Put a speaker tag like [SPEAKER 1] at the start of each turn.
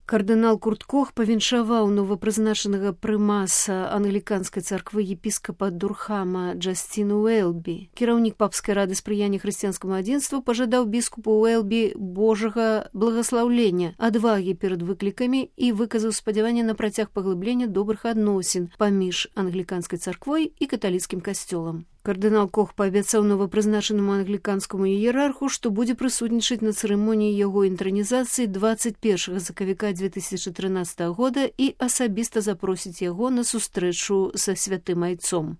[SPEAKER 1] Кардынал Курт Кох павіншаваў новапрызначанага прымаса англіканскай царквы епіскапа Дурхама Джасціна Уэлбі. Кіраўнік папскай рады спрыяння хрысціянскаму адзінству пажадаў біскупу Уэлбі божага благаслаўлення, адвагі перад выклікамі і выказаў спадзяванне на працяг паглыблення добрых адносін паміж англіканскай царквой і каталіцкім касцёлам. Кардынал Кох паабяцаў новапрызначанаму англіканскаму іерарху, што будзе прысутнічаць на цырымоніі яго інтранізацыі 21 сакавіка 2013 года і асабіста запросіць яго на сустрэчу са святым айцом.